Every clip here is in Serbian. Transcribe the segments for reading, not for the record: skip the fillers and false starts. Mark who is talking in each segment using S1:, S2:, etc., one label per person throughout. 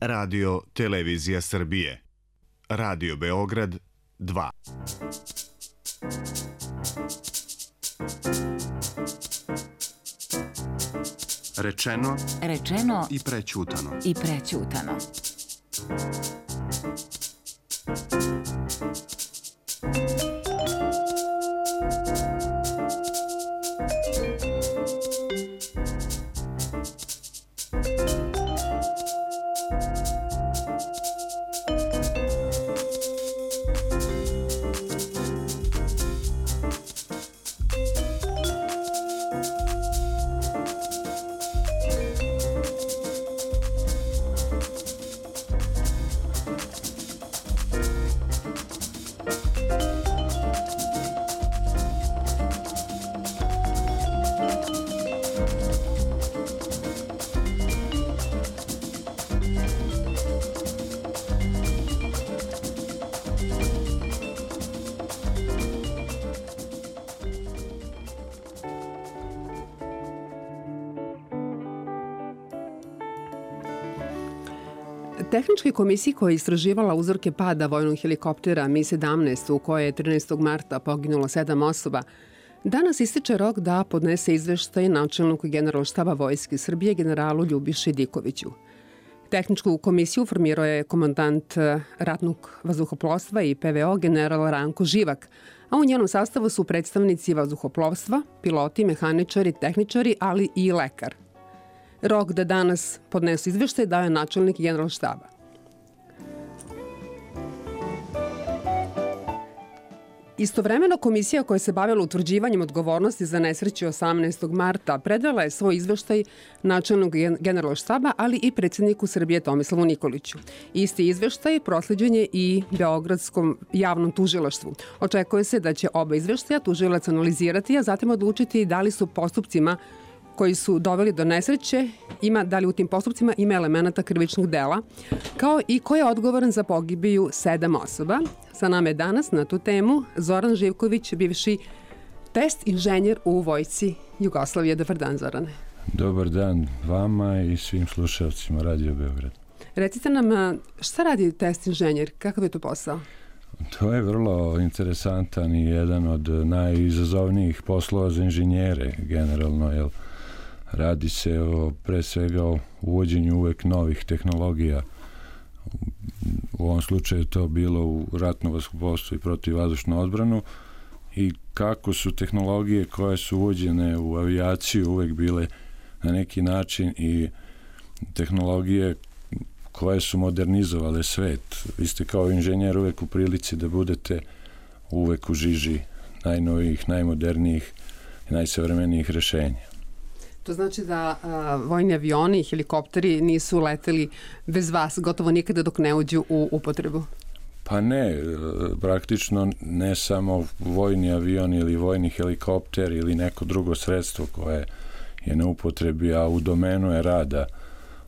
S1: Radio Televizija Srbije. Radio Beograd 2.
S2: Rečeno i prećutano.
S3: Tehničkoj komisiji koja je istraživala uzorke pada vojnog helikoptera Mi-17 u kojoj je 13. marta poginulo 7 osoba, danas ističe rok da podnese izveštaj načelniku Generalštaba Vojske Srbije generalu Ljubiši Dikoviću. Tehničku komisiju formirao je komandant ratnog vazduhoplovstva i PVO general Ranko Živak, a u njenom sastavu su predstavnici vazduhoplovstva, piloti, mehaničari, tehničari, ali i lekar. Rok da danas podnesu izveštaj dao je načelnik Generalštaba. Istovremeno, komisija koja se bavila utvrđivanjem odgovornosti za nesreću 18. marta predala je svoj izveštaj načelnog Generalštaba, ali i predsjedniku Srbije Tomislavu Nikoliću. Isti izveštaj prosleđen je i Beogradskom javnom tužilaštvu. Očekuje se da će oba izveštaja tužilac analizirati, a zatim odlučiti da li su postupcima koji su doveli do nesreće, da li u tim postupcima ima elemenata krivičnog dela, kao i ko je odgovoran za pogibiju 7 osoba. Sa nama je danas na tu temu Zoran Živković, bivši test inženjer u Vojsci Jugoslavije. Dobar dan, Zorane.
S4: Dobar dan vama i svim slušalcima Radio Beograd.
S3: Recite nam, šta radi test inženjer? Kakav je to posao?
S4: To je vrlo interesantan i jedan od najizazovnijih poslova za inženjere generalno, jer radi se pre svega o uvođenju uvek novih tehnologija. U ovom slučaju to bilo u ratno vazduhoplovstvo i protivvazdušnu odbranu i kako su tehnologije koje su uvođene u avijaciju uvek bile na neki način i tehnologije koje su modernizovale svet. Vi ste kao inženjer uvek u prilici da budete uvek u žiži najnovijih, najmodernijih i najsavremenijih rešenja.
S3: To znači da vojni avioni i helikopteri nisu leteli bez vas gotovo nikada dok ne uđu u upotrebu?
S4: Pa ne, praktično ne samo vojni avion ili vojni helikopter ili neko drugo sredstvo koje je na upotrebi, a u domenu je rada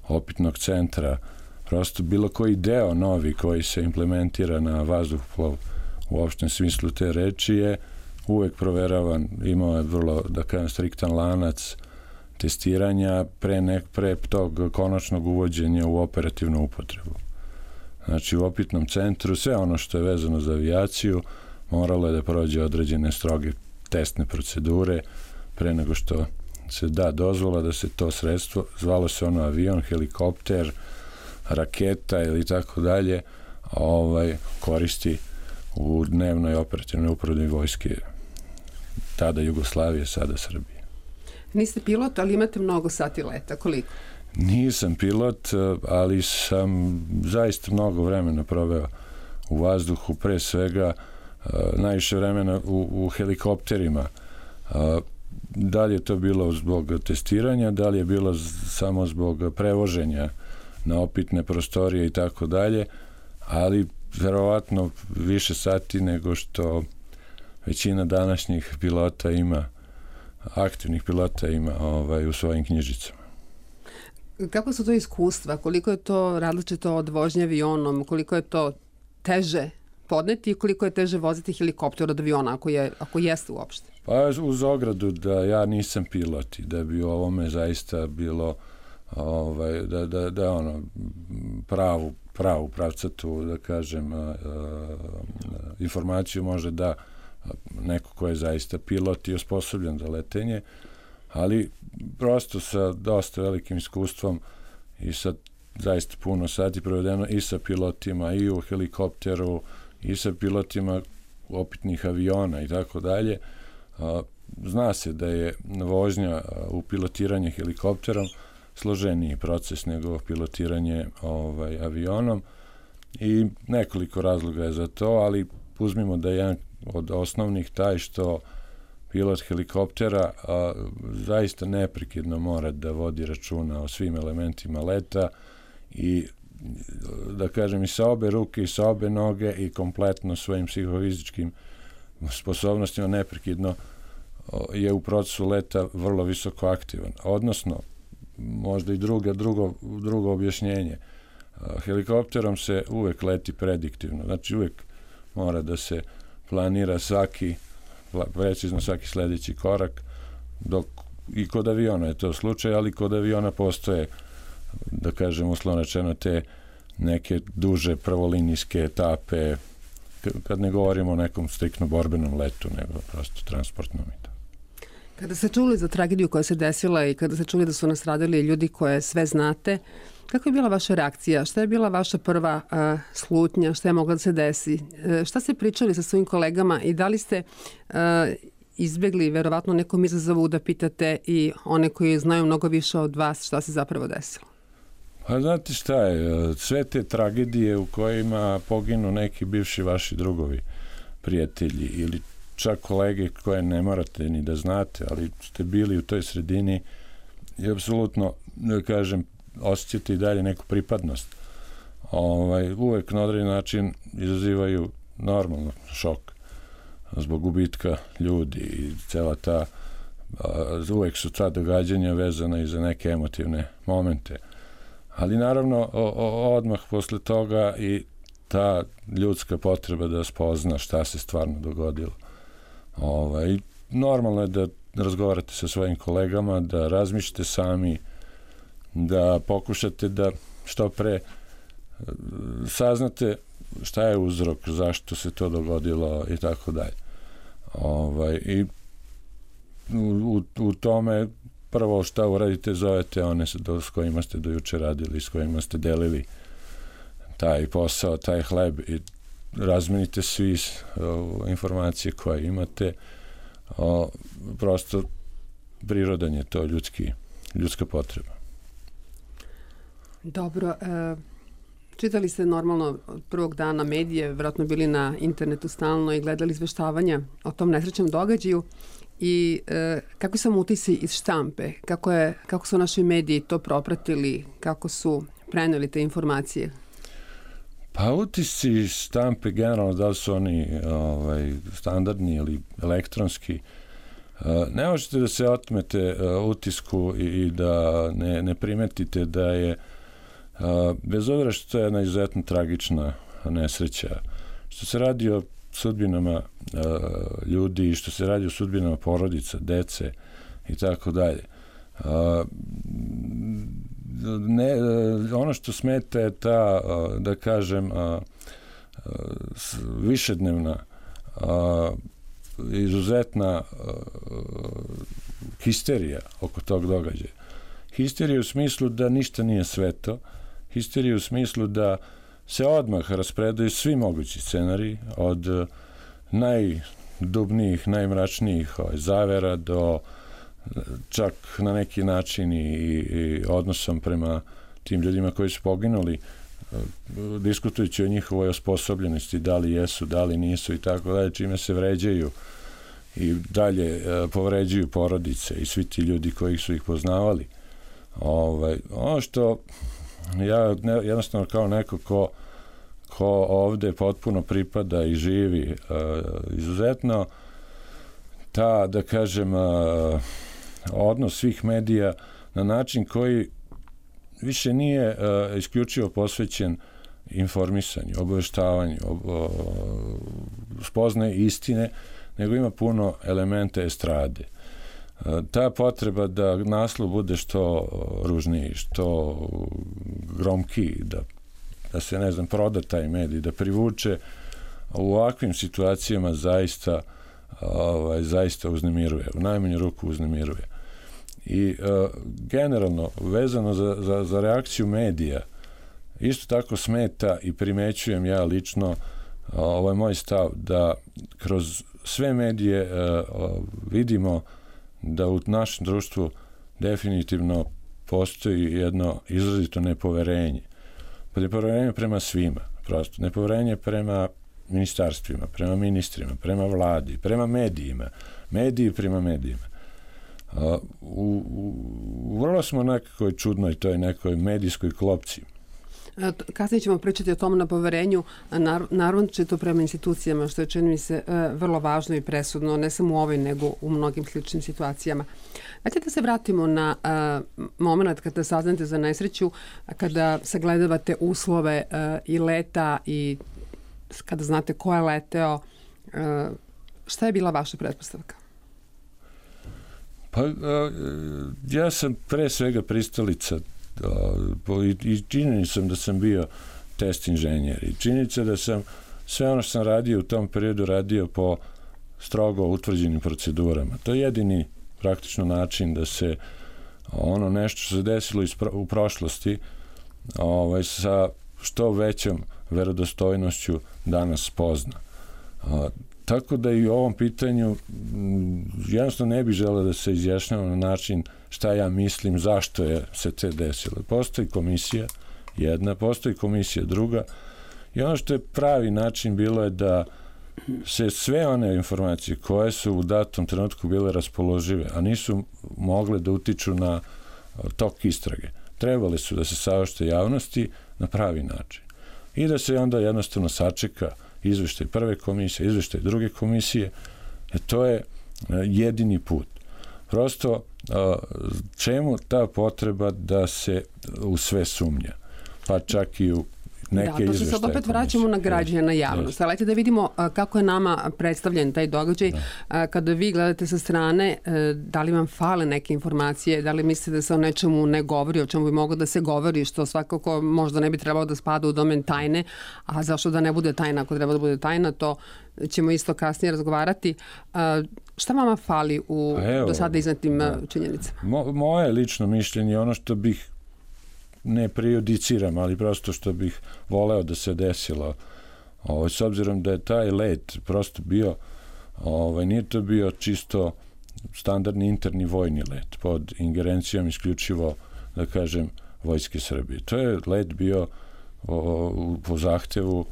S4: opitnog centra. Prosto bilo koji deo novi koji se implementira na vazduhoplov u opštem smislu te reči je uvek proveravan, imao je vrlo, da kažem, striktan lanac testiranja pre tog konačnog uvođenja u operativnu upotrebu. Znači u opitnom centru sve ono što je vezano za avijaciju moralo je da prođe određene stroge testne procedure pre nego što se da dozvola da se to sredstvo, zvalo se ono avion, helikopter, raketa ili tako dalje, koristi u dnevnoj operativnoj upotrebi vojske tada Jugoslavije, sada Srbije.
S3: Niste pilot, ali imate mnogo sati leta. Koliko?
S4: Nisam pilot, ali sam zaista mnogo vremena proveo u vazduhu, pre svega najviše vremena u helikopterima. Da li je to bilo zbog testiranja, da li je bilo samo zbog prevoženja na opitne prostorije i tako dalje, ali verovatno više sati nego što većina današnjih pilota ima, aktivnih pilota ima u svojim knjižicama.
S3: Kako su to iskustva? Koliko je to različito od vožnje avionom? Koliko je to teže podneti i koliko je teže voziti helikopter od aviona, ako jeste uopšte?
S4: Pa uz ogradu da ja nisam pilot i da bi u ovome zaista bilo da ono pravu pravcatu, da kažem, informaciju može da neko ko je zaista pilot i osposobljen za letenje, ali prosto sa dosta velikim iskustvom i sa zaista puno sati provedeno i sa pilotima i u helikopteru i sa pilotima opitnih aviona i tako dalje. Zna se da je vožnja u pilotiranje helikopterom složeniji proces nego pilotiranje avionom i nekoliko razloga je za to, ali uzmimo da je jedan od osnovnih taj što pilot helikoptera zaista neprekidno mora da vodi računa o svim elementima leta i da kažem i sa obe ruke i sa obe noge i kompletno svojim psihofizičkim sposobnostima neprekidno je u procesu leta vrlo visoko aktivan. Odnosno, možda i drugo objašnjenje. Helikopterom se uvek leti prediktivno, znači uvek mora da se planira precizno svaki sledeći korak, dok i kod aviona je to slučaj, ali kod aviona postoje, da kažem uslovno rečeno, te neke duže prvolinijske etape, kad ne govorimo o nekom striktno borbenom letu, nego prosto transportnom i to.
S3: Kada ste čuli za tragediju koja se desila i kada ste čuli da su nastradali ljudi koje sve znate, kako je bila vaša reakcija? Šta je bila vaša prva slutnja? Šta je mogla da se desi? Šta ste pričali sa svojim kolegama i da li ste izbegli verovatno nekom izazovu da pitate i one koji znaju mnogo više od vas šta se zapravo desilo?
S4: Pa znate šta je, sve te tragedije u kojima poginu neki bivši vaši drugovi, prijatelji ili čak kolege koje ne morate ni da znate, ali ste bili u toj sredini i apsolutno, da kažem, osjećate i dalje neku pripadnost. Uvek na određen način izazivaju normalno šok zbog gubitka ljudi i cela ta, uvek su ta događanja vezana i za neke emotivne momente. Ali naravno odmah posle toga i ta ljudska potreba da spozna šta se stvarno dogodilo. Normalno je da razgovarate sa svojim kolegama, da razmišljate sami, da pokušate da što pre saznate šta je uzrok, zašto se to dogodilo i tako dalje. I u tome prvo šta uradite, zovete one s kojima ste do juče radili, s kojima ste delili taj posao, taj hleb i razmenite svi informacije koje imate. Prosto prirodan je to ljudska potreba.
S3: Dobro. Čitali ste normalno od prvog dana medije, vjerojatno bili na internetu stalno i gledali izveštavanja o tom nesrećnom događaju i kako su utisci iz štampe, kako su naši mediji to propratili, kako su preneli te informacije?
S4: Pa utisci iz štampe generalno, da li su oni standardni ili elektronski, ne možete da se otmete utisku i da ne primetite da je, bez obzira što je jedna izuzetno tragična nesreća, što se radi o sudbinama ljudi, što se radi o sudbinama porodica, dece i tako dalje. Ono što smeta je ta, da kažem, višednevna, izuzetna histerija oko tog događaja. Histerija u smislu da ništa nije sveto, histerija u smislu da se odmah raspredaju svi mogući scenariji, od najdubnijih, najmračnijih zavera do čak na neki način i odnosom prema tim ljudima koji su poginuli, diskutujući o njihovoj osposobljenosti, da li jesu, da li nisu i tako dalje, čime se vređaju i dalje povređuju porodice i svi ti ljudi koji su ih poznavali. Ono što ja jednostavno kao neko ko ovde potpuno pripada i živi izuzetno, ta, da kažem, odnos svih medija na način koji više nije isključivo posvećen informisanju, obaveštavanju, spoznaje istine, nego ima puno elementa estrade. ta potreba da naslov bude što ružniji, što gromkiji, da se, ne znam, proda taj medij, da privuče, u ovakvim situacijama zaista uznemiruje, u najmanju ruku uznemiruje. I generalno, vezano za reakciju medija, isto tako smeta i primećujem ja lično, ovo je moj stav, da kroz sve medije vidimo da u našem društvu definitivno postoji jedno izrazito nepoverenje. Nepoverenje prema svima, prosto. Nepoverenje prema ministarstvima, prema ministrima, prema vladi, prema medijima. Mediji prema medijima. Vrlo smo nekakoj čudnoj toj nekoj medijskoj klopci.
S3: Kasnije ćemo pričati o tom na poverenju, naravno će to prema institucijama, što je, čini mi se, vrlo važno i presudno, ne samo u ovoj, nego u mnogim sličnim situacijama. Dajte da se vratimo na moment kada saznate za nesreću, kada sagledavate uslove i leta i kada znate ko je leteo, šta je bila vaša pretpostavka?
S4: Pa, ja sam pre svega pristalica i činjenica sam da sam bio test inženjer i činjenica da sam sve ono što sam radio u tom periodu radio po strogo utvrđenim procedurama. To je jedini praktično način da se ono nešto što se desilo u prošlosti sa što većom verodostojnošću danas spozna. Tako da i u ovom pitanju jednostavno ne bih želeo da se izjašnjavam na način šta ja mislim, zašto je se te desilo. Postoji komisija jedna, postoji komisija druga i ono što je pravi način bilo je da se sve one informacije koje su u datom trenutku bile raspoložive, a nisu mogle da utiču na tok istrage, trebale su da se saopšte javnosti na pravi način. I da se onda jednostavno sačeka izveštaj prve komisije, izveštaj druge komisije, to je jedini put. Prosto, čemu ta potreba da se u sve sumnja? Pa čak i u neke izveštaje komisije. Da, to se sad opet vraćamo na građane, na javnost. Ali da vidimo kako je nama predstavljen taj događaj. Kada vi gledate sa strane, da li vam fale neke informacije, da li mislite da se o nečemu ne govori, o čemu bi moglo da se govori, što svakako možda ne bi trebalo da spada u domen tajne, a zašto da ne bude tajna, ako treba da bude tajna, to ćemo isto kasnije razgovarati. Šta vama fali u do sada iznetim činjenicama? Moje lično mišljenje, ono što bih ne prejudiciram, ali prosto što bih voleo da se desilo. S obzirom da je taj let prosto bio, nije to bio čisto standardni interni vojni let pod ingerencijom isključivo, da kažem, Vojske Srbije. To je let bio po zahtevu,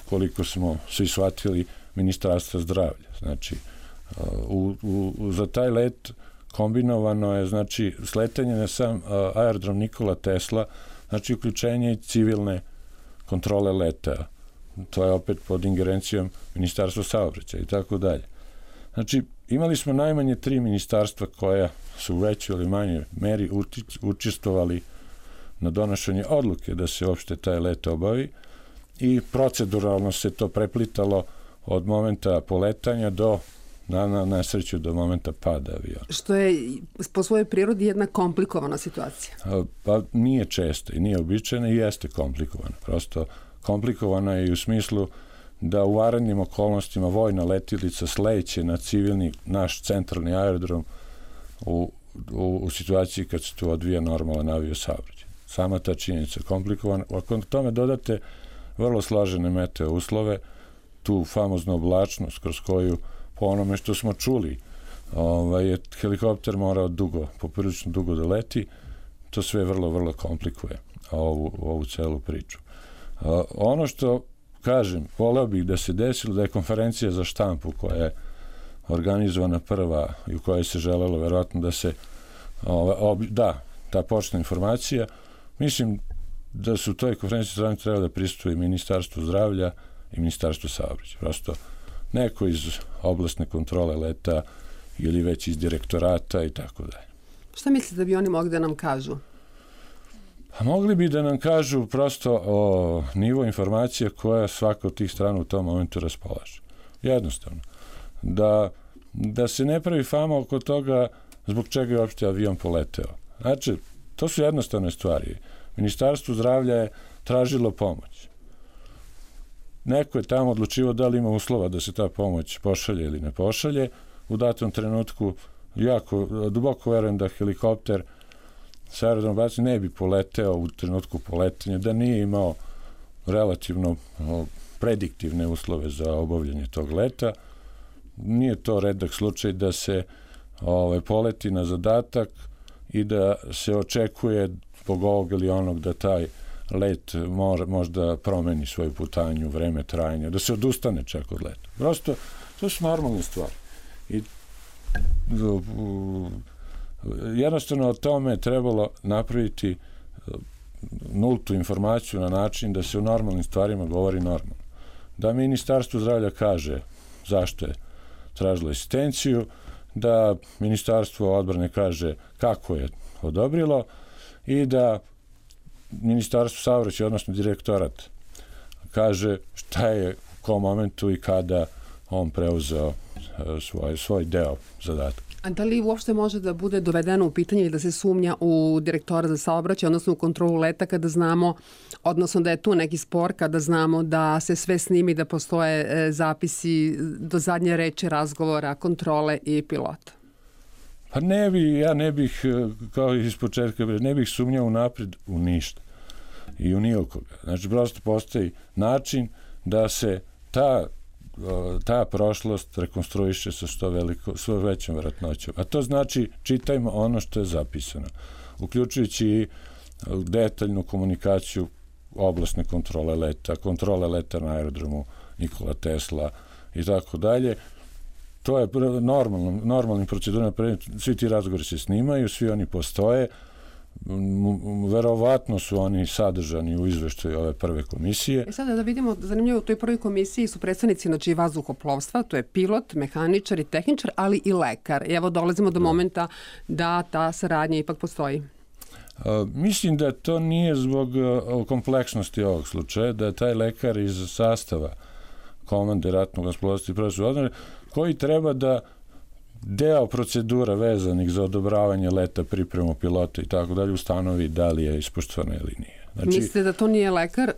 S4: koliko smo svi shvatili, Ministarstva zdravlja. Znači, za taj let kombinovano je, znači, sletanje na sam aerodrom Nikola Tesla, znači uključenje i civilne kontrole leta. To je opet pod ingerencijom Ministarstva saobraćaja i tako dalje. Znači, imali smo najmanje 3 ministarstva koja su u većoj ili manjoj meri učestvovali na donošenje odluke da se uopšte taj let obavi i proceduralno se to preplitalo od momenta poletanja do na sreću do momenta pada aviona.
S3: Što je po svojoj prirodi jedna komplikovana situacija.
S4: Pa nije često i nije običajna i jeste komplikovana. Prosto komplikovana je i u smislu da u vanrednim okolnostima vojna letilica sleće na civilni naš centralni aerodrom u situaciji kad se tu odvija normalan aviosaobraćaj. Sama ta činjenica je komplikovana. Ako tome dodate vrlo složene meteo uslove, tu famoznu oblačnost kroz koju po onome što smo čuli je helikopter morao poprilično dugo da leti, to sve vrlo, vrlo komplikuje ovu celu priču. Ono što kažem, voleo bih da se desilo da je konferencija za štampu koja je organizovana prva i u kojoj se želelo verovatno da se ta početna informacija, mislim da su u toj konferenciji za trebalo da prisustuje Ministarstvo zdravlja i Ministarstvo saobraćaja. Prosto neko iz oblastne kontrole leta ili već iz direktorata i tako dalje.
S3: Šta mislite da bi oni mogli da nam kažu?
S4: A mogli bi da nam kažu prosto o nivo informacija koja svaka od tih strana u tom momentu raspolaže. Jednostavno. Da da se ne pravi fama oko toga zbog čega je uopšte avion poleteo. Znači, to su jednostavne stvari. Ministarstvo zdravlja je tražilo pomoć. Neko je tamo odlučivao da li ima uslova da se ta pomoć pošalje ili ne pošalje. U datom trenutku jako duboko verujem da helikopter sa aerodroma Bački ne bi poleteo u trenutku poletenja, da nije imao relativno prediktivne uslove za obavljanje tog leta. Nije to redak slučaj da se poleti na zadatak i da se očekuje zbog ovog ili onog da taj let možda promeni svoju putanju, vreme trajanja, da se odustane čak od leta. Prosto, to su normalne stvari. I jednostavno o tome trebalo napraviti nultu informaciju na način da se o normalnim stvarima govori normalno. Da Ministarstvo zdravlja kaže zašto je tražilo asistenciju, da Ministarstvo odbrane kaže kako je odobrilo i da Ministarstvo saobraćaja, odnosno direktorat, kaže šta je u kom momentu i kada on preuzeo svoj deo zadatka.
S3: A da li uopšte može da bude dovedeno u pitanje i da se sumnja u direktora za saobraćaj, odnosno u kontrolu leta, kada znamo, odnosno da je tu neki spor, kada znamo da se sve snimi, da postoje zapisi do zadnje reči razgovora, kontrole i pilota?
S4: Pa ja ne bih, kao iz početka, ne bih sumnjao napred u ništa i u nijekoga. Znači, prosto postoji način da se ta prošlost rekonstruiše sa što većom verovatnoćom. A to znači čitajmo ono što je zapisano, uključujući i detaljnu komunikaciju oblasne kontrole leta na aerodromu Nikola Tesla i tako dalje. To je normalnim procedurama, svi ti razgovori se snimaju, svi oni postoje, verovatno su oni sadržani u izveštaju ove prve komisije.
S3: Sada da vidimo, zanimljivo, u toj prvoj komisiji su predstavnici vazduhoplovstva, to je pilot, mehaničar i tehničar, ali i lekar. I evo dolazimo do momenta da ta saradnja ipak postoji.
S4: Mislim da to nije zbog kompleksnosti ovog slučaja, da je taj lekar iz sastava komande ratnog vazduhoplovstva i profesora odbrane, koji treba da deo procedura vezanih za odobravanje leta, pripremu pilota i tako dalje ustanovi da li je ispoštovano ili nije.
S3: Znači, mislite da to nije lekar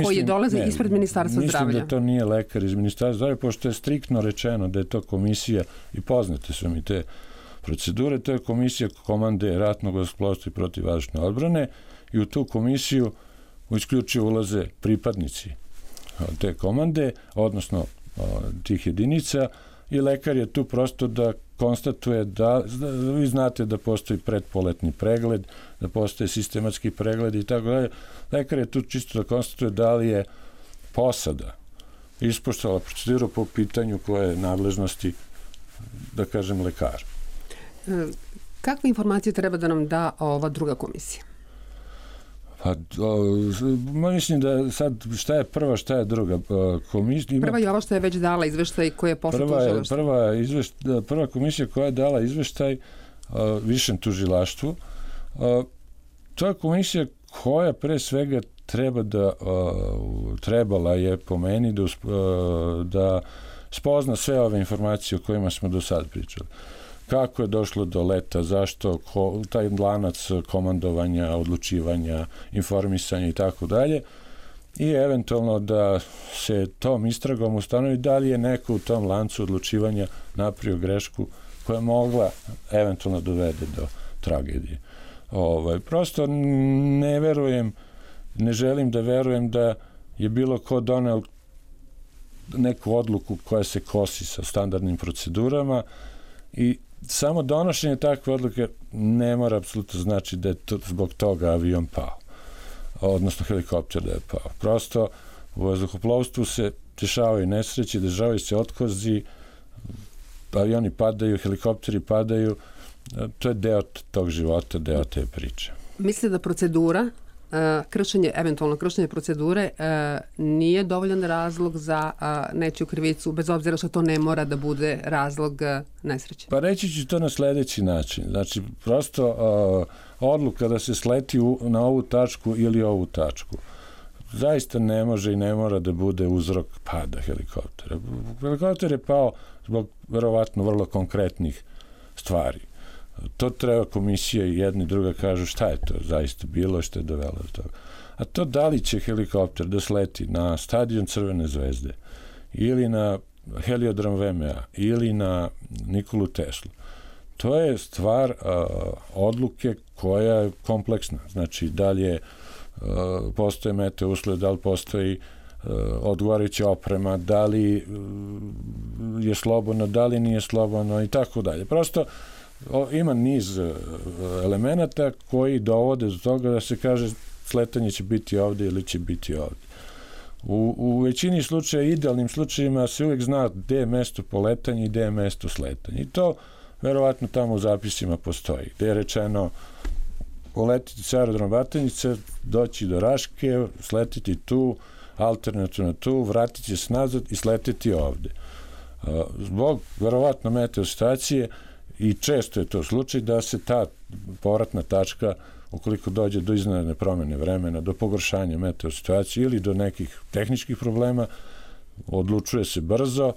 S3: koji je dolazi ispred Ministarstva zdravlja?
S4: Mislim da to nije lekar iz Ministarstva zdravlja, pošto je striktno rečeno da je to komisija, i poznate su mi te procedure, to je komisija komande ratnog vazduhoplovstva i protivvazdušne odbrane i u tu komisiju isključivo ulaze pripadnici te komande, odnosno tih jedinica, i lekar je tu prosto da konstatuje vi znate da postoji predpoletni pregled, da postoje sistematski pregled i tako dalje. Lekar je tu čisto da konstatuje da li je posada ispoštovala proceduru po pitanju koje je nadležnosti, da kažem, lekara.
S3: Kakve informacije treba da nam da ova druga komisija?
S4: Pa, mislim da sad šta je prva, šta je druga komisija.
S3: Prva je ova što je već dala izveštaj koji je posle tužilaštva.
S4: Prva komisija koja je dala izveštaj višem tužilaštvu. To je komisija koja pre svega trebala je po meni da spozna sve ove informacije o kojima smo do sad pričali. Kako je došlo do leta, zašto, taj lanac komandovanja, odlučivanja, informisanja i tako dalje. I eventualno da se tom istragom ustanovi da li je neko u tom lancu odlučivanja napravio grešku koja je mogla eventualno dovede do tragedije. Prosto ne želim da verujem da je bilo ko doneo neku odluku koja se kosi sa standardnim procedurama i samo donošenje takve odluke ne mora apsolutno znači da je zbog toga avion pao, odnosno helikopter da je pao. Prosto u vazduhoplovstvu se dešavaju nesreće, dešavaju se otkozi, avioni padaju, helikopteri padaju, to je deo tog života, deo te priče.
S3: Mislite da procedura, eventualno kršenje procedure nije dovoljan razlog za nečiju krivicu, bez obzira što to ne mora da bude razlog nesreće?
S4: Pa reći ću to na sledeći način. Znači, prosto odluka da se sleti na ovu tačku ili ovu tačku. zaista ne može i ne mora da bude uzrok pada helikoptera. Helikopter je pao zbog verovatno vrlo konkretnih stvari. To treba komisija i jedna i druga kažu šta je to zaista bilo, što je dovelo do toga. A to da li će helikopter da sleti na stadion Crvene zvezde ili na heliodrom VMA ili na Nikolu Teslu, to je stvar odluke koja je kompleksna. Znači, da li je postoje meteo uslove, da li postoji odgovarajuća oprema, da li je slobodno, da li nije slobodno i tako dalje. Prosto ima niz elemenata koji dovode do toga da se kaže sletanje će biti ovde ili će biti ovde. U većini slučaja, idealnim slučajima se uvijek zna gde je mesto poletanja i gde je mesto sletanja. I to verovatno tamo u zapisima postoji. Gde je rečeno poletiti sa aerodrom Batajnica, doći do Raške, sletiti tu, alternativno tu, vratiti se nazad i sletiti ovde. Zbog verovatno meteostacije i često je to slučaj da se ta povratna tačka, ukoliko dođe do iznenadne promene vremena, do pogoršanja meteosituacije ili do nekih tehničkih problema, odlučuje se brzo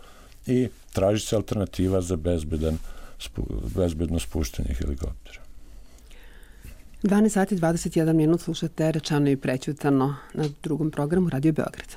S4: i traži se alternativa za bezbedno spuštanje helikoptera.
S3: 12 sati 21 minut slušate Rečeno i prećutano na drugom programu Radio Beograd.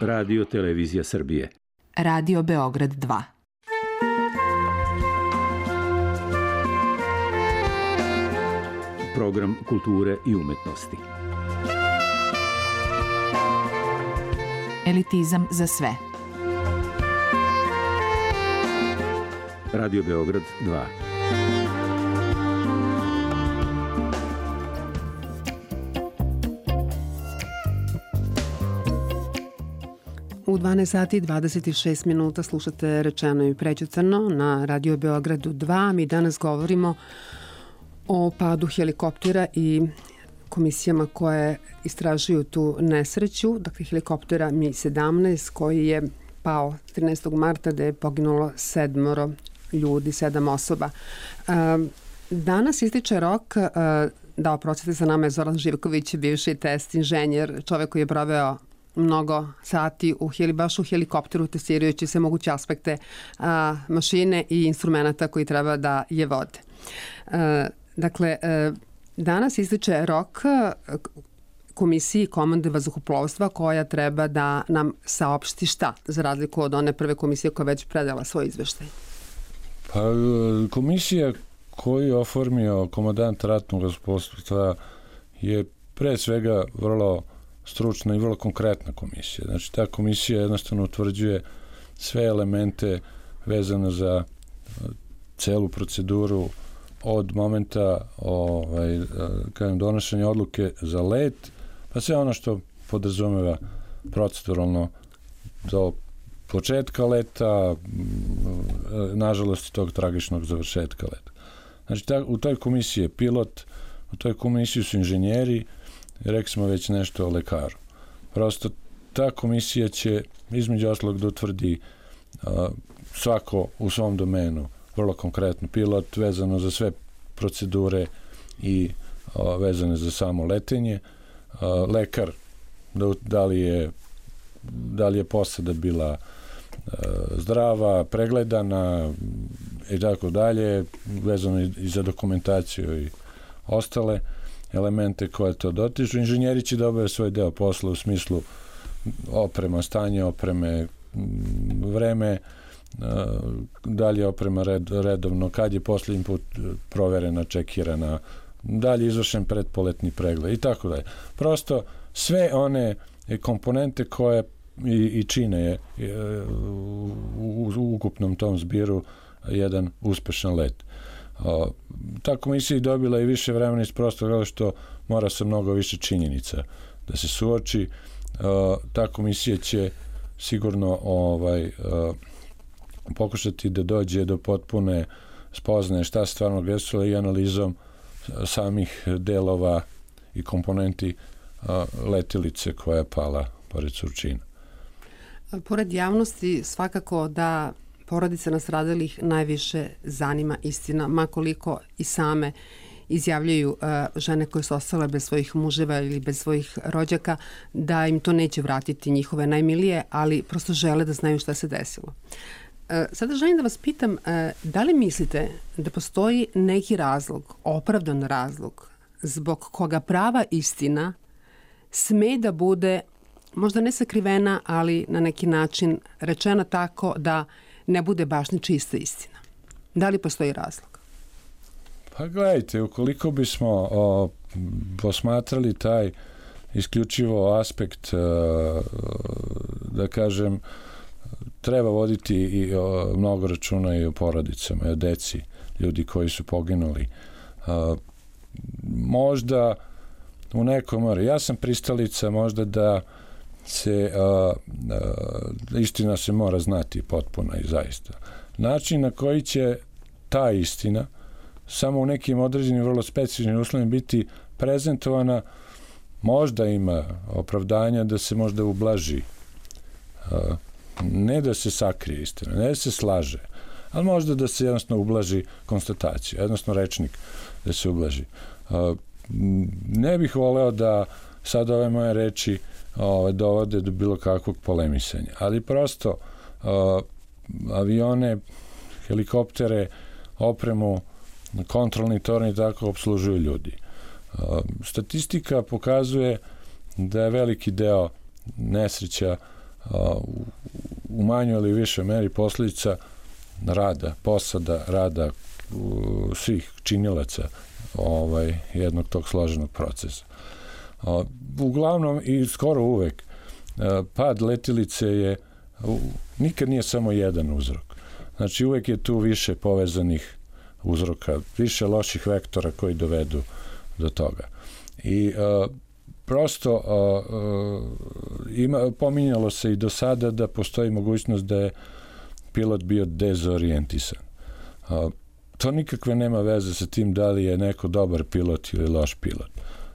S5: Radio Televizija Srbije.
S6: Radio Beograd 2.
S5: Program kulture i umetnosti.
S6: Elitizam za sve.
S5: Radio Beograd 2.
S3: U 12 sati i 26 minuta slušate Rečeno i prećutano na Radio Beogradu 2. Mi danas govorimo o padu helikoptera i komisijama koje istražuju tu nesreću. Dakle, helikoptera Mi-17 koji je pao 13. marta da je poginulo 7 ljudi, 7 osoba. Danas ističe rok, da oprostite, sa nama je Zoran Živković, bivši test inženjer, čovek koji je proveo mnogo sati baš u helikopteru testirajući sve moguće aspekte mašine i instrumenta koji treba da je vode. Dakle, danas ističe rok komisiji komande vazduhoplovstva koja treba da nam saopšti šta, za razliku od one prve komisije koja već predala svoj izveštaj.
S4: Pa komisija koju je oformio komandant ratnog vazduhoplovstva je pre svega vrlo stručna i vrlo konkretna komisija. Znači, ta komisija jednostavno utvrđuje sve elemente vezane za celu proceduru od momenta donošenja odluke za let, pa sve ono što podrazumeva proceduralno do početka leta, nažalost i tog tragičnog završetka leta. Znači, u toj komisiji je pilot, u toj komisiji su inženjeri, rekli smo već nešto o lekaru. Prosto ta komisija će između ostalog da utvrdi svako u svom domenu, vrlo konkretno, pilot vezano za sve procedure i vezane za samo letenje, lekar da li je posada bila zdrava, pregledana i tako dalje, vezano i za dokumentaciju i ostale elemente koje to dotiču. Inženjeri će da obave svoj deo posla u smislu oprema, stanje opreme, vreme, da li je oprema redovno, kad je poslednji put proverena, čekirana, da li je izvršen predpoletni pregled i tako dalje. Prosto sve one komponente koje i čine u ukupnom tom zbiru jedan uspešan let. Ta komisija je dobila i više vremena iz prostog razloga što mora se mnogo više činjenica da se suoči. Ta komisija će sigurno pokušati da dođe do potpune spoznaje šta se stvarno desilo i analizom samih delova i komponenti letelice koja je pala pored Surčina.
S3: Pored javnosti svakako da porodice nastradalih najviše zanima istina, makoliko i same izjavljaju žene koje su ostale bez svojih muževa ili bez svojih rođaka, da im to neće vratiti njihove najmilije, ali prosto žele da znaju šta se desilo. Sada želim da vas pitam, da li mislite da postoji neki razlog, opravdan razlog, zbog koga prava istina sme da bude, možda ne sakrivena, ali na neki način rečena tako da ne bude baš ni čista istina? Da li postoji razlog?
S4: Pa gledajte, ukoliko bismo posmatrali taj isključivo aspekt, da kažem, treba voditi i mnogo računa i o porodicama, i o deci, ljudi koji su poginuli. Možda u nekom, ja sam pristalica možda da se istina se mora znati potpuno i zaista. Način na koji će ta istina samo u nekim određenim vrlo specifičnim uslovima biti prezentovana, možda ima opravdanja da se možda ublaži, ne da se sakrije istina, ne da se slaže, ali možda da se jednostavno ublaži konstatacija, jednostavno rečnik da se ublaži. Ne bih voleo da sad ove moje reči dovode do bilo kakvog polemisanja, ali prosto avione, helikoptere, opremu, kontrolni torni tako obslužuju ljudi. Statistika pokazuje da je veliki deo nesreća u manjoj ili višoj meri posljedica rada, posada, rada svih činilaca jednog tog složenog procesa. Uglavnom i skoro uvek pad letilice je nikad nije samo jedan uzrok. Znači uvek je tu više povezanih uzroka, više loših vektora koji dovedu do toga. I prosto pominjalo se i do sada da postoji mogućnost da je pilot bio dezorijentisan. To nikakve nema veze sa tim da li je neko dobar pilot ili loš pilot.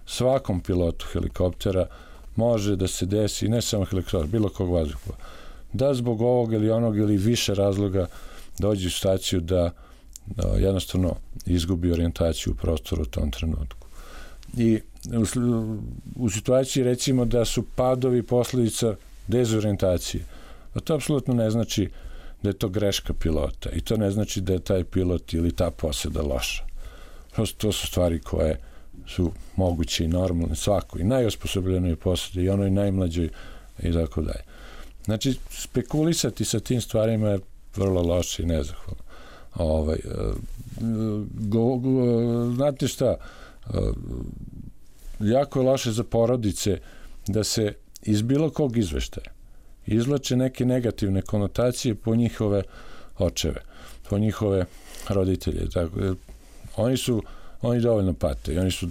S4: Svakom pilotu helikoptera može da se desi, ne samo helikoptera, bilo kog vazduhoplova, da zbog ovog ili onog ili više razloga dođe u situaciju da jednostavno izgubi orijentaciju u prostoru u tom trenutku. I u situaciji recimo da su padovi posljedica dezorijentacije, a to apsolutno ne znači da je to greška pilota i to ne znači da je taj pilot ili ta posada loša. Prosto to su stvari koje su moguće i normalne svakoj, najosposobljenoj posadi i onoj najmlađoj i tako dalje. Znači, spekulisati sa tim stvarima je vrlo loše i nezahvalno. Znate šta, jako je loše za porodice da se iz bilo kog izveštaja izvlače neke negativne konotacije po njihove očeve, po njihove roditelje. Tako, oni dovoljno pate i oni su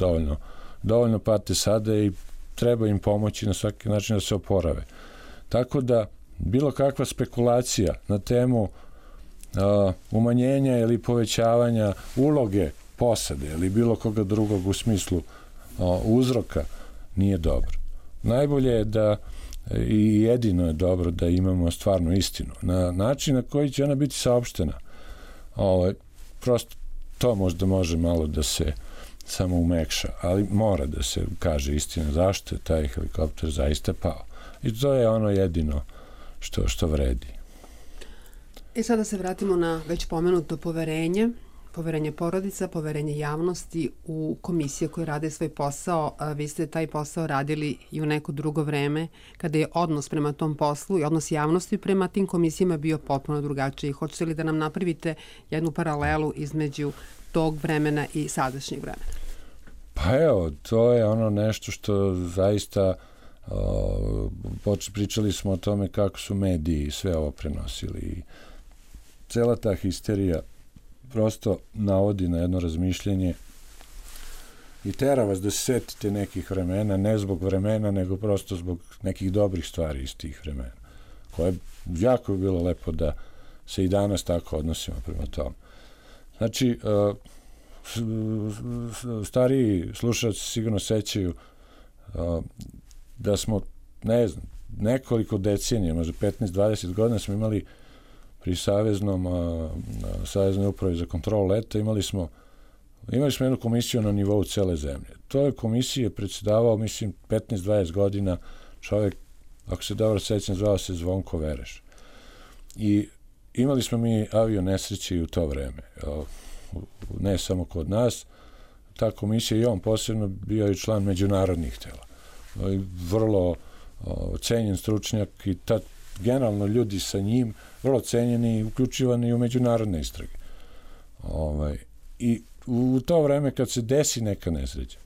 S4: dovoljno pate sada i treba im pomoći na svaki način da se oporave. Tako da bilo kakva spekulacija na temu umanjenja ili povećavanja uloge posade ili bilo koga drugog u smislu uzroka nije dobro. Najbolje je da i jedino je dobro da imamo stvarno istinu. Na način na koji će ona biti saopštena, prosto to možda može malo da se samo umekša, ali mora da se kaže istina zašto je taj helikopter zaista pao. I to je ono jedino što vredi.
S3: I sada se vratimo na već pomenuto poverenje porodica, poverenje javnosti u komisije koje rade svoj posao. Vi ste taj posao radili i u neko drugo vreme, kada je odnos prema tom poslu i odnos javnosti prema tim komisijama bio potpuno drugačiji. Hoćete li da nam napravite jednu paralelu između tog vremena i sadašnjeg vremena?
S4: Pa evo, to je ono nešto što zaista pričali smo o tome kako su mediji sve ovo prenosili i cela ta histerija prosto navodi na jedno razmišljanje i tera vas da se setite nekih vremena, ne zbog vremena, nego prosto zbog nekih dobrih stvari iz tih vremena, koje jako bi bilo lepo da se i danas tako odnosimo prema tome. Znači, stariji slušalci sigurno sećaju da smo, ne znam, nekoliko decenija, možda 15-20 godina smo imali pri Saveznoj upravi za kontrolu leta, imali smo jednu komisiju na nivou cele zemlje. To je komisije predsedavao, mislim, 15-20 godina čovjek, ako se dobro sećam, zvao se Zvonko Vereš. I imali smo mi avio nesreće i u to vreme. Ne samo kod nas, ta komisija i on posebno bio i član međunarodnih tela. Vrlo cenjen stručnjak i generalno ljudi sa njim vrlo cenjeni i uključivani u međunarodne istrage. I u to vreme kad se desi neka nesreća,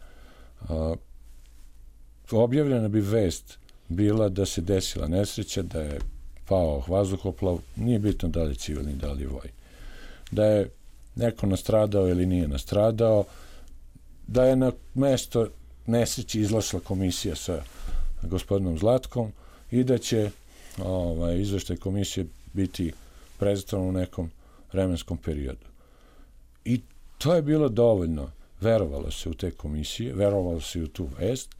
S4: objavljena bi vest bila da se desila nesreća, da je pao vazduhoplov, nije bitno da li je civilni, da li je vojni. Da je neko nastradao ili nije nastradao, da je na mesto nesreći izlašla komisija sa gospodinom Zlatkom i da će izveštaj komisije biti prezentavan u nekom vremenskom periodu. I to je bilo dovoljno. Verovalo se u te komisije, verovalo se u tu vest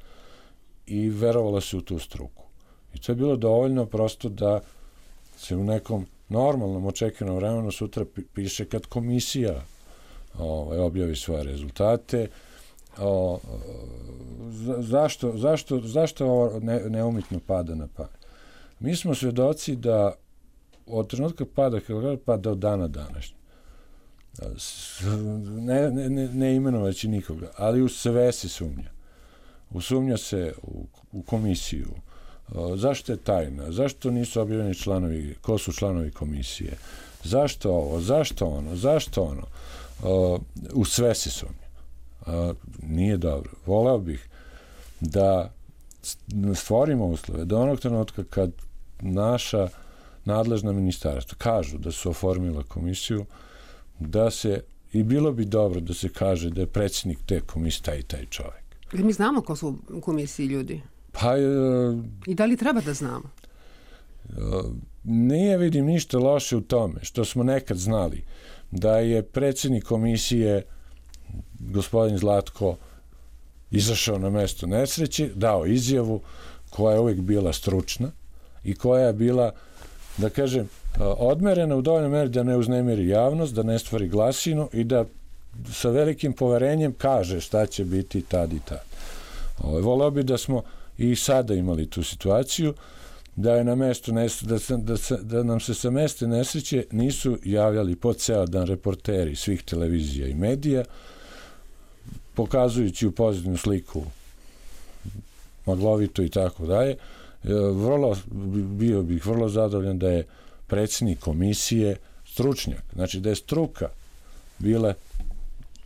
S4: i verovalo se u tu struku. I to je bilo dovoljno prosto da se u nekom normalnom očekivanom vremenu sutra piše kad komisija objavi svoje rezultate. Zašto ovo neumitno pada na pamet? Mi smo svedoci da od trenutka pada helikoptera pa do dana današnjeg. Ne imenovaći nikoga, ali u sve se sumnja. Usumnja se u komisiju. Zašto je tajna? Zašto nisu objavljeni članovi? Ko su članovi komisije? Zašto ovo? Zašto ono? Zašto ono? U sve se sumnja. Nije dobro. Voleo bih da stvorimo uslove da onog trenutka kad naša nadležna ministarstva kažu da su oformila komisiju, da se i bilo bi dobro da se kaže da je predsjednik te komisije taj i taj čovjek.
S3: Mi znamo ko su u komisiji ljudi?
S4: Pa,
S3: i da li treba da znamo?
S4: Nije vidim ništa loše u tome što smo nekad znali da je predsjednik komisije gospodin Zlatko izašao na mesto nesreće, dao izjavu koja je uvijek bila stručna i koja je bila, da kažem, odmerena u dovoljnoj meri da ne uznemiri javnost, da ne stvori glasinu i da sa velikim poverenjem kaže šta će biti tad i tad. Voleo bi da smo i sada imali tu situaciju, da je na mestu da nam se sa mesta nesreće nisu javljali po ceo dan reporteri svih televizija i medija, pokazujući u pozitivnu sliku maglovito i tako dalje. Bio bih vrlo zadovoljan da je predsjednik komisije stručnjak, znači da je struka bila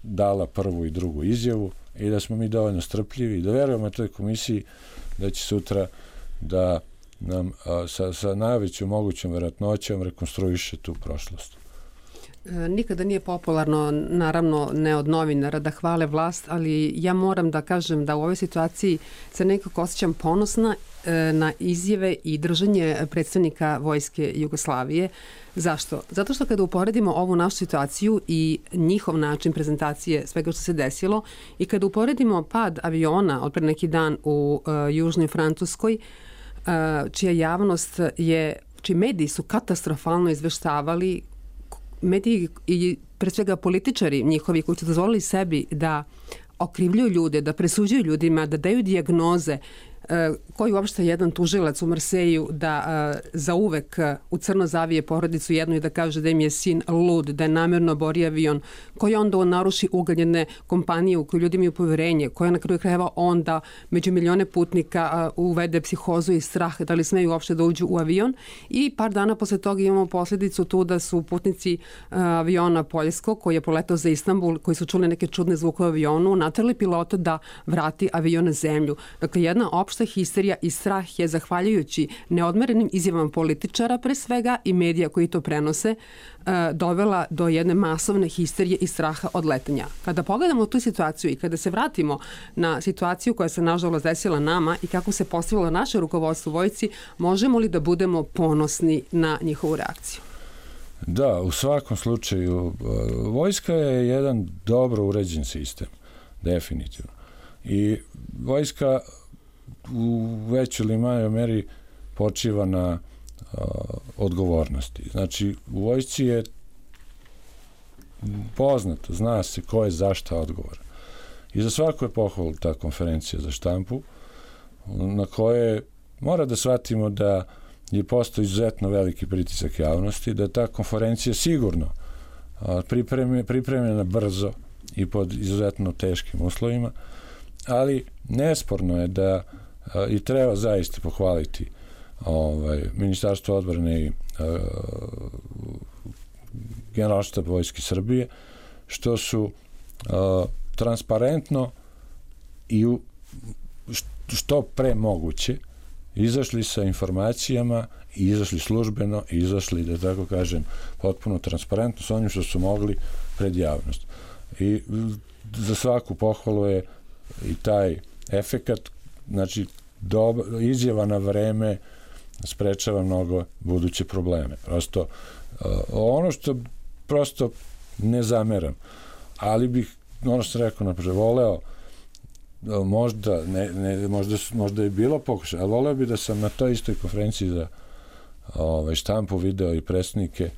S4: dala prvu i drugu izjavu i da smo mi dovoljno strpljivi i da verujemo toj komisiji da će sutra da nam sa najvećom mogućom verovatnoćom rekonstruiše tu prošlost.
S3: Nikada nije popularno, naravno ne od novinara, da hvale vlast, ali ja moram da kažem da u ovoj situaciji se nekako osjećam ponosna na izjave i držanje predstavnika Vojske Jugoslavije. Zašto? Zato što kada uporedimo ovu našu situaciju i njihov način prezentacije svega što se desilo i kada uporedimo pad aviona od pre neki dan u Južnoj Francuskoj, čija javnost je, čiji mediji su katastrofalno izveštavali, mediji i pre svega političari njihovi koji su dozvolili sebi da okrivljuju ljude, da presuđuju ljudima, da daju dijagnoze, koji uopšte jedan tužilac u Marseju da zauvek u crno zavije porodicu jednu i da kaže da im je sin lud, da je namjerno bori avion, koji onda naruši ugled jedne kompanije u kojoj ljudi imaju poverenje, koja na kraju krajeva onda među milione putnika uvede psihozu i strah da li smeju uopšte da uđu u avion i par dana posle toga imamo posljedicu tu da su putnici aviona Poljskog koji je poletao za Istanbul, koji su čuli neke čudne zvuke u avionu, naterali pilota da vrati avion na zemlju. Dakle, jedna opšta histerija i strah je, zahvaljujući neodmerenim izjavama političara pre svega i medija koji to prenose, dovela do jedne masovne histerije i straha od letenja. Kada pogledamo tu situaciju i kada se vratimo na situaciju koja se nažalost desila nama i kako se postavilo naše rukovodstvo u vojsci, možemo li da budemo ponosni na njihovu reakciju?
S4: Da, u svakom slučaju vojska je jedan dobro uređen sistem, definitivno. I vojska u većoj ili manjoj meri počiva na odgovornosti. Znači, u vojsci je poznato, zna se ko je za šta odgovoran. I za svako je pohvalu ta konferencija za štampu, na koje mora da shvatimo da je postao izuzetno veliki pritisak javnosti, da je ta konferencija sigurno pripremljena brzo i pod izuzetno teškim uslovima, ali nesporno je da i treba zaista pohvaliti Ministarstvo odbrane i Generalštab Vojske Srbije, što su transparentno i što pre moguće izašli sa informacijama i izašli službeno i izašli, da tako kažem, potpuno transparentno sa onim što su mogli pred javnost. I za svaku pohvalu je i taj efekat, znači izjava na vreme sprečava mnogo buduće probleme. Prosto, ono što prosto ne zameram, ali bih, ono što sam rekao napred, voleo, možda je bilo pokušaj, ali voleo bi da sam na toj istoj konferenciji za štampu video i predstavnike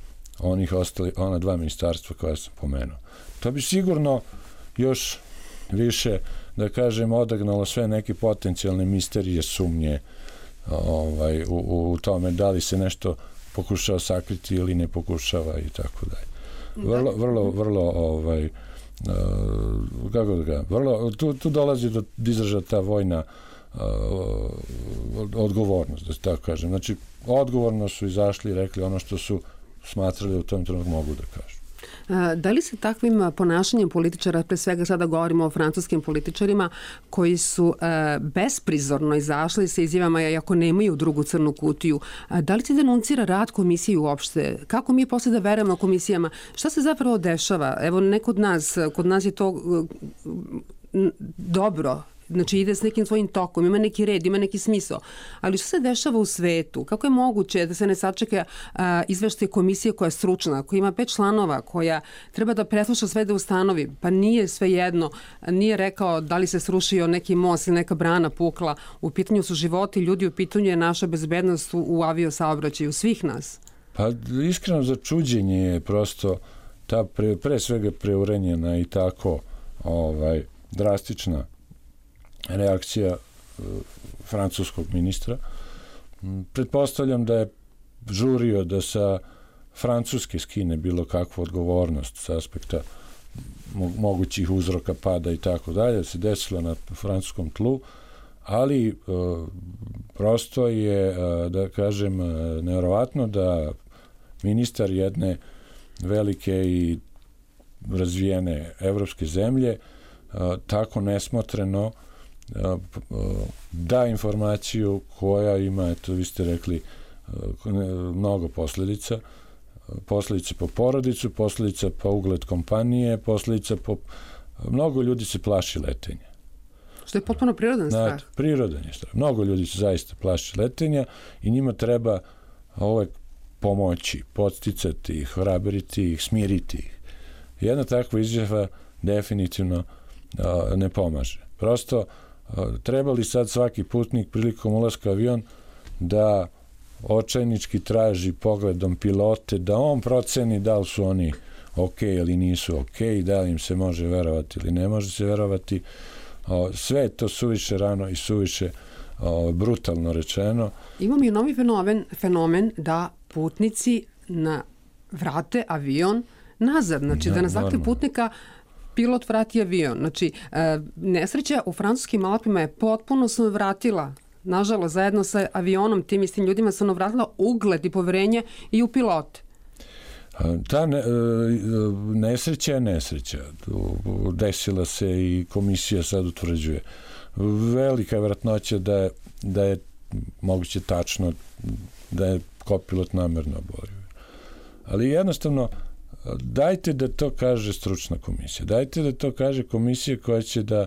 S4: ona dva ministarstva koja sam pomenuo. To bi sigurno još više, da kažem, odagnalo sve neke potencijalne misterije, sumnje u tome da li se nešto pokušava sakriti ili ne pokušava i tako dalje. Vrlo kako da ga, tu dolazi do izražaja ta vojna odgovornost, da se tako kažem. Znači, odgovorno su izašli i rekli ono što su smatrali u tom trenutku mogu da kažu.
S3: Da li se takvim ponašanjem političara, pre svega sada govorimo o francuskim političarima, koji su besprizorno izašli sa izjavama iako nemaju drugu crnu kutiju, da li se denuncira rad komisije uopšte? Kako mi posle da verujemo komisijama? Šta se zapravo dešava? Evo, ne kod nas je to dobro. Znači ide s nekim svojim tokom, ima neki red, ima neki smisao. Ali što se dešava u svetu? Kako je moguće da se ne sačeka izveštaj komisije koja je stručna, koja ima 5 članova, koja treba da presluša sve da ustanovi, pa nije sve jedno, nije rekao da li se srušio neki most ili neka brana pukla, u pitanju su životi ljudi, u pitanju je naša bezbednost u aviosaobraćaju svih nas.
S4: Pa iskreno začuđenje je prosto ta pre svega preurenjena i tako drastična reakcija francuskog ministra. Pretpostavljam da je žurio da sa Francuske skine bilo kakvu odgovornost s aspekta mogućih uzroka pada i tako dalje, se desilo na francuskom tlu, ali prosto je, da kažem, nevjerovatno da ministar jedne velike i razvijene evropske zemlje tako nesmotreno da informaciju koja ima, eto vi ste rekli, mnogo posledica po porodicu, posledica po ugled kompanije, posledica po... Mnogo ljudi se plaši letenja.
S3: Što je potpuno prirodan strah.
S4: Prirodan je strah. Mnogo ljudi se zaista plaši letenja i njima treba uvek pomoći, podsticati ih, hrabriti ih, smiriti ih. Jedna takva izjava definitivno ne pomaže. Prosto treba li sad svaki putnik prilikom ulaska u avion da očajnički traži pogledom pilote, da on proceni da li su oni ok ili nisu ok, da li im se može verovati ili ne može se verovati. Sve je to suviše rano i suviše brutalno rečeno.
S3: Imamo i novi fenomen da putnici vrate avion nazad. Znači da na zahtev putnika pilot vrati avion. Znači, nesreća u francuskim Alpima je potpuno se vratila, nažalost, zajedno sa avionom, tim istim ljudima se vratila ugled i poverenje i u pilote.
S4: Ta nesreća je nesreća. Desila se i komisija sad utvrđuje. Velika je vjerojatnoća da je moguće tačno da je kopilot namerno oborio. Ali jednostavno dajte da to kaže stručna komisija. Dajte da to kaže komisija koja će da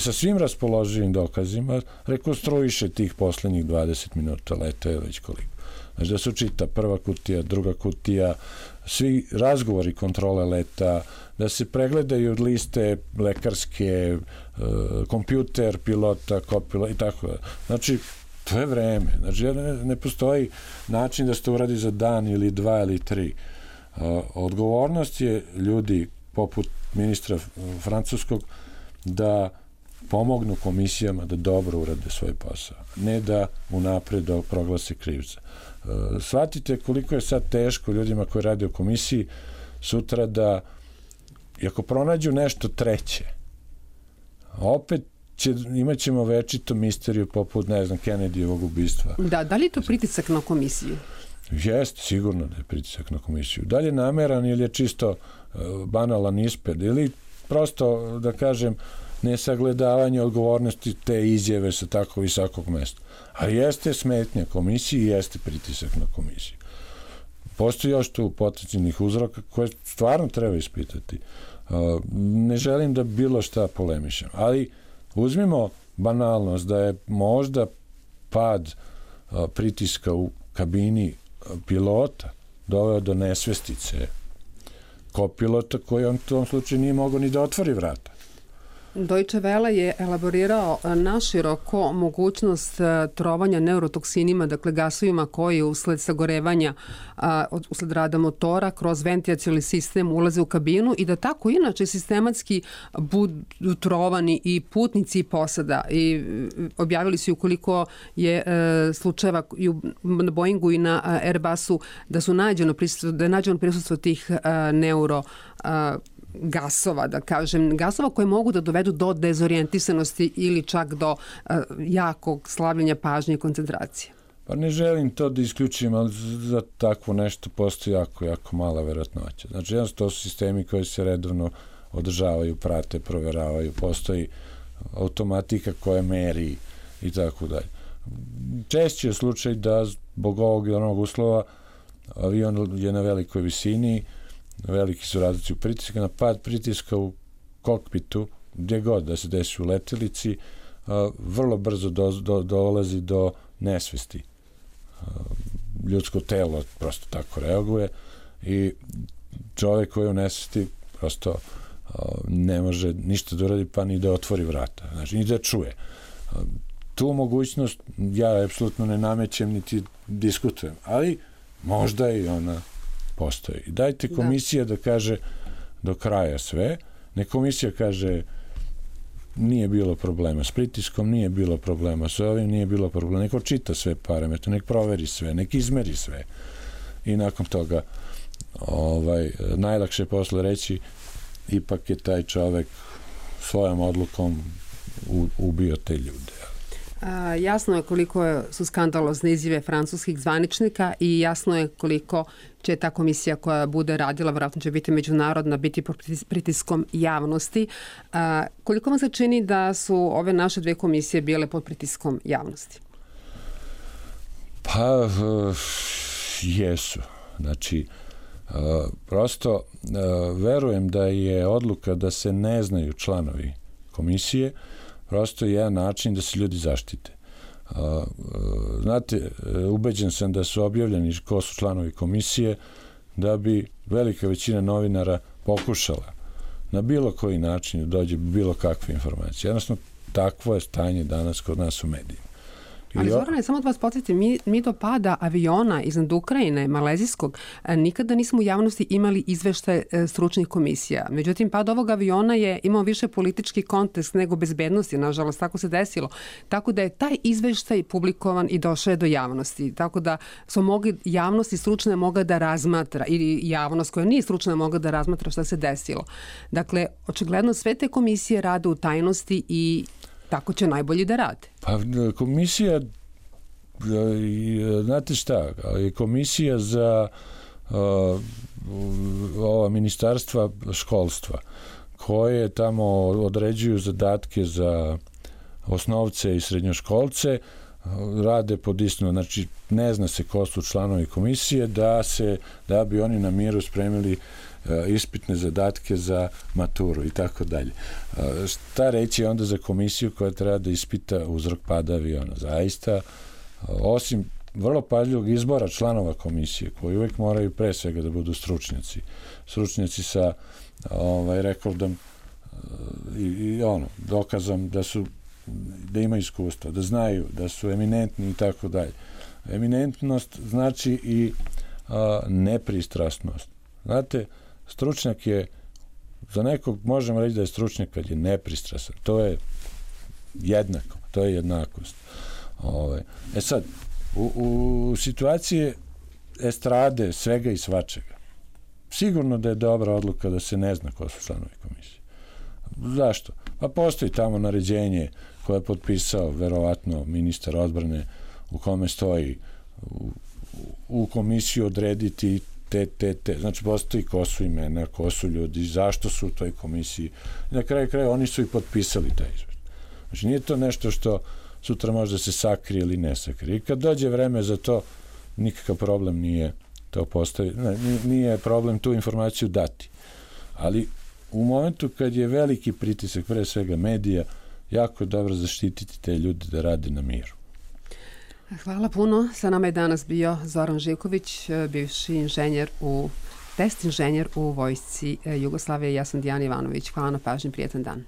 S4: sa svim raspoloživim dokazima rekonstruiše tih poslednjih 20 minuta leta ili već koliko. Znači da se učita prva kutija, druga kutija, svi razgovori kontrole leta, da se pregledaju od liste lekarske, kompjuter pilota, kopilota i tako da. Znači, to je vreme. Znači, ne postoji način da se to uradi za dan ili 2 ili 3. Odgovornost je ljudi poput ministra francuskog da pomognu komisijama da dobro urade svoj posao. Ne da unapred proglase krivca. Shvatite koliko je sad teško ljudima koji rade u komisiji sutra da, ako pronađu nešto treće, opet imat ćemo večito misteriju poput, ne znam, Kennedyjevog ubistva.
S3: Da li je to pritisak na komisiju?
S4: Jeste, sigurno da je pritisak na komisiju. Da li je nameran ili je čisto banalan ispred ili prosto, da kažem, nesagledavanje odgovornosti te izjave sa tako visokog mesta. A jeste smetnja komisiji i jeste pritisak na komisiju. Postoji još tu potencijalnih uzroka koje stvarno treba ispitati. Ne želim da bilo šta polemišem, ali uzmimo banalnost da je možda pad pritiska u kabini pilota doveo do nesvestice kopilota koji on u tom slučaju nije mogao ni da otvori vrata.
S3: Deutsche Welle je elaborirao naširoko mogućnost trovanja neurotoksinima, dakle gasovima koji usled sagorevanja, usled rada motora, kroz ventilacioni sistem ulaze u kabinu i da tako inače sistematski budu trovani i putnici i posada. I objavili su ukoliko je slučajeva na Boeingu i na Airbusu da je nađeno prisustvo tih gasova, da kažem, gasova koje mogu da dovedu do dezorijentisanosti ili čak do jakog slabljenja pažnje i koncentracije.
S4: Pa ne želim to da isključim, ali za takvo nešto postoji jako mala verovatnoća. Znači, jednostavno to su sistemi koji se redovno održavaju, prate, proveravaju, postoji automatika koja meri i tako dalje. Češće je slučaj da zbog ovog ili onog uslova avion je na velikoj visini, veliki su razlici u pritiska, na pad pritiska u kokpitu, gdje god da se desi u letelici, vrlo brzo dolazi do nesvesti. Ljudsko telo prosto tako reaguje i čovjek koji je u nesvesti prosto ne može ništa da uradi, pa ni da otvori vrata, znači ni da čuje. Tu mogućnost ja apsolutno ne namećem niti diskutujem, ali možda i ona postoji. Dajte komisija da kaže do kraja sve, ne komisija kaže nije bilo problema s pritiskom, nije bilo problema s ovim, nije bilo problema, neko čita sve parametre, nek proveri sve, nek izmeri sve i nakon toga najlakše je posle reći ipak je taj čovek svojom odlukom ubio te ljude.
S3: Jasno je koliko su skandalozne izjave francuskih zvaničnika i jasno je koliko će ta komisija koja bude radila, vjerojatno će biti međunarodna, biti pod pritiskom javnosti. Koliko vam se čini da su ove naše dve komisije bile pod pritiskom javnosti?
S4: Pa, jesu. Znači, prosto verujem da je odluka da se ne znaju članovi komisije prosto jedan način da se ljudi zaštite. Znate, ubeđen sam da su objavljeni ko su članovi komisije da bi velika većina novinara pokušala na bilo koji način da dođe bilo kakve informacije. Jednostavno, takvo je stanje danas kod nas u medijima.
S3: Ali Zorane, samo da vas podsjetim, mi do pada aviona iznad Ukrajine, malezijskog, nikada nismo u javnosti imali izveštaje stručnih komisija. Međutim, pad ovog aviona je imao više politički kontekst nego bezbednosti, nažalost, tako se desilo. Tako da je taj izveštaj publikovan i došao je do javnosti. Tako da su mogli javnosti stručne mogla da razmatra ili javnost koja nije stručna mogla da razmatra šta se desilo. Dakle, očigledno sve te komisije rade u tajnosti i tako će najbolje da rade.
S4: Pa komisija, znate šta, komisija za ova ministarstva školstva, koje tamo određuju zadatke za osnovce i srednjoškolce, rade pod istinu, znači ne zna se ko su članovi komisije, da bi oni na miru spremili ispitne zadatke za maturu i tako dalje. Šta reći onda za komisiju koja treba da ispita uzrok pada aviona? Zaista, osim vrlo pažljivog izbora članova komisije, koji uvek moraju pre svega da budu stručnjaci sa rekordom i dokazom da imaju iskustva, da znaju, da su eminentni i tako dalje. Eminentnost znači i nepristrasnost. Znate, stručnjak je, za nekog možemo reći da je stručnjak kad je nepristrasan. To je jednako, to je jednakost. Sad, u situaciji estrade svega i svačega, sigurno da je dobra odluka da se ne zna ko su članovi komisije. Zašto? Pa postoji tamo naređenje koje je potpisao verovatno ministar odbrane u kome stoji u komisiju odrediti te. Znači, postoji ko su imena, ko su ljudi, zašto su u toj komisiji. Na kraju kraja oni su i potpisali taj izveštaj. Znači, nije to nešto što sutra može da se sakrije ili ne sakrije. I kad dođe vreme za to, nikakav problem nije to postaviti. Nije problem tu informaciju dati. Ali u momentu kad je veliki pritisak, pre svega medija, jako je dobro zaštititi te ljude da rade na miru.
S3: Hvala puno. Sa nama je danas bio Zoran Živković, bivši test inženjer u Vojsci Jugoslavije. Ja sam Dijana Ivanović. Hvala na pažnji, prijetan dan.